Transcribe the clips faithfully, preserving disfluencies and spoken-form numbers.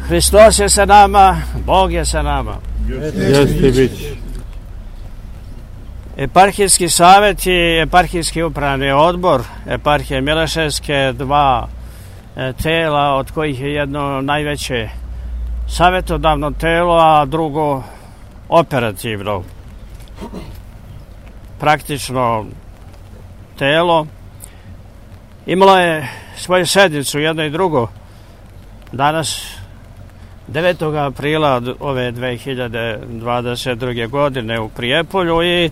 Hristos je sa nama, Bog je sa nama. Jeste biti. Eparhijski savjet i eparhijski upravni odbor eparhije Mileševske, dva e, tela od kojih je jedno najveće savjetodavno telo, a drugo operativno, praktično telo. Imalo je svoju sednicu, jedno i drugo, danas devetog aprila ove dve hiljade dvadeset druge. godine u Prijepolju, i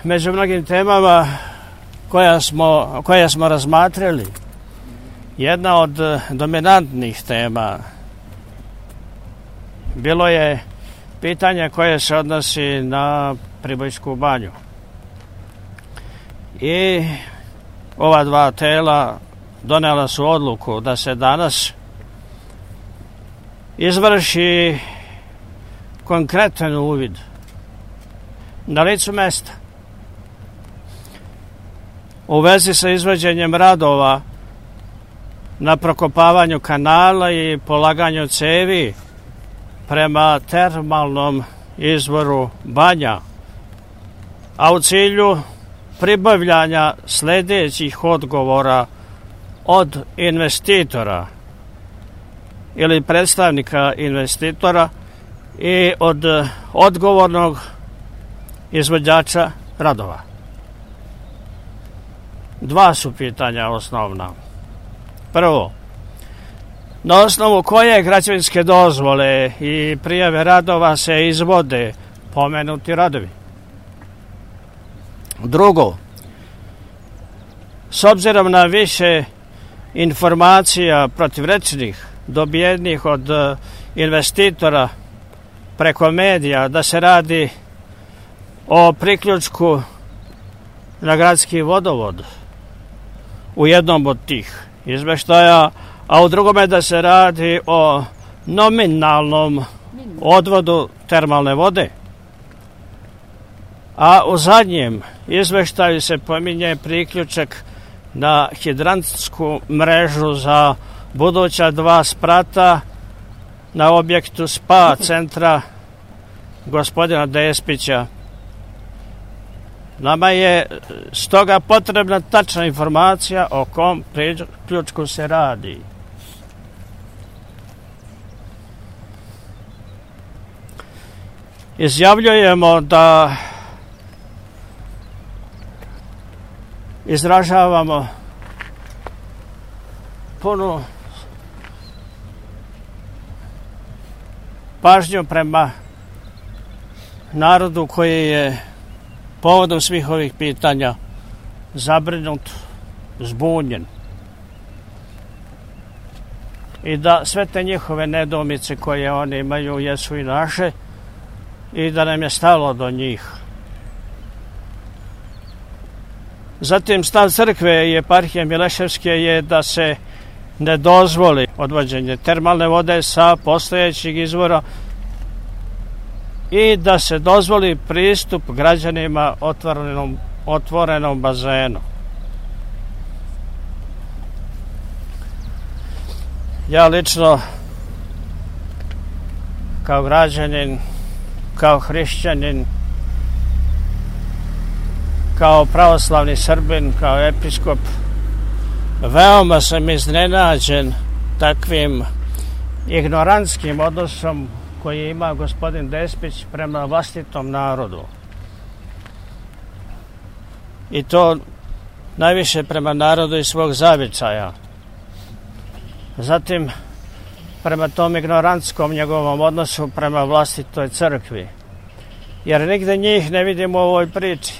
među mnogim temama koja smo, koje smo razmatrali, jedna od dominantnih tema bilo je pitanje koje se odnosi na Pribojsku banju. I ova dva tela donela su odluku da se danas izvrši konkretan uvid na licu mesta u vezi sa izvođenjem radova na prokopavanju kanala i polaganju cevi prema termalnom izvoru Banja, a u cilju pribavljanja sljedećih odgovora od investitora ili predstavnika investitora i od odgovornog izvođača radova. Dva su pitanja osnovna. Prvo, na osnovu koje građevinske dozvole i prijave radova se izvode pomenuti radovi? Drugo, s obzirom na više informacija protivrečnih dobijenih od investitora preko medija da se radi o priključku na gradski vodovod u jednom od tih izveštaja, a u drugome da se radi o nominalnom odvodu termalne vode, a u zadnjem izveštaju se pominje priključak na hidrantsku mrežu za buduća dva sprata na objektu spa centra gospodina Despića. Nama je stoga potrebna tačna informacija o kom priključku se radi. Izjavljujemo da izražavamo punu pažnju prema narodu koji je povodom svih ovih pitanja zabrinut, zbunjen, i da sve te njihove nedoumice koje oni imaju jesu i naše, i da nam je stalo do njih. Zatim, stav crkve i eparhije Mileševske je da se ne dozvoli odvođenje termalne vode sa postojećih izvora i da se dozvoli pristup građanima otvorenom, otvorenom bazenu. Ja lično, kao građanin, kao hrišćanin, kao pravoslavni Srbin, kao episkop, veoma sam iznenađen takvim ignorantskim odnosom koji ima gospodin Despić prema vlastitom narodu. I to najviše prema narodu iz svog zavičaja. Zatim, prema tom ignorantskom njegovom odnosu prema vlastitoj crkvi. Jer nigde njih ne vidimo u ovoj priči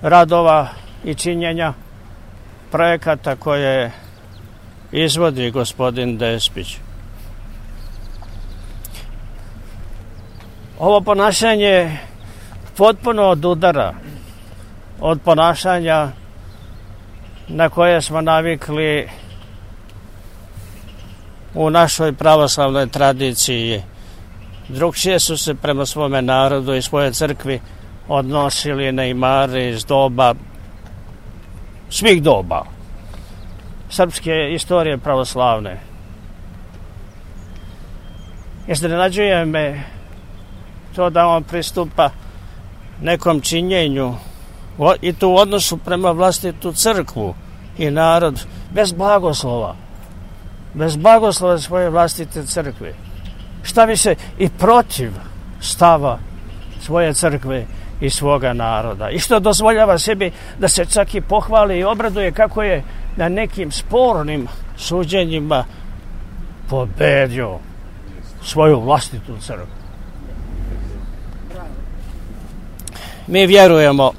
radova i činjenja projekata koje izvodi gospodin Despić. Ovo ponašanje potpuno odudara od ponašanja na koje smo navikli u našoj pravoslavnoj tradiciji. Drugčije su se prema svome narodu i svoje crkvi odnosili neimari iz doba, svih doba srpske istorije pravoslavne. Iznenađuje me to da on pristupa nekom činjenju i to u odnosu prema vlastitu crkvu i narod bez blagoslova. Bez blagoslova svoje vlastite crkve. Šta bi se i protiv stava svoje crkve i svoga naroda. I što dozvoljava sebi da se čak i pohvali i obraduje kako je na nekim spornim suđenjima pobedio svoju vlastitu crkvu. Mi vjerujemo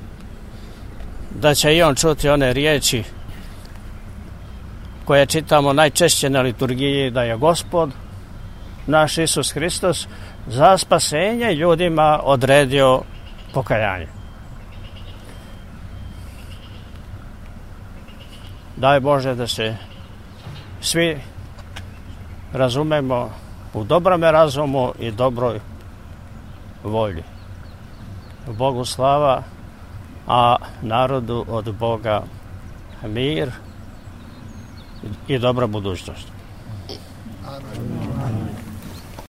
da će i on čuti one riječi koje čitamo najčešće na liturgiji, da je Gospod naš Isus Hristos za spasenje ljudima odredio pokajanje. Daj Bože da se svi razumemo u dobrome razumu i dobroj volji. Bogu slava, a narodu od Boga mir i dobra budućnost. Amen.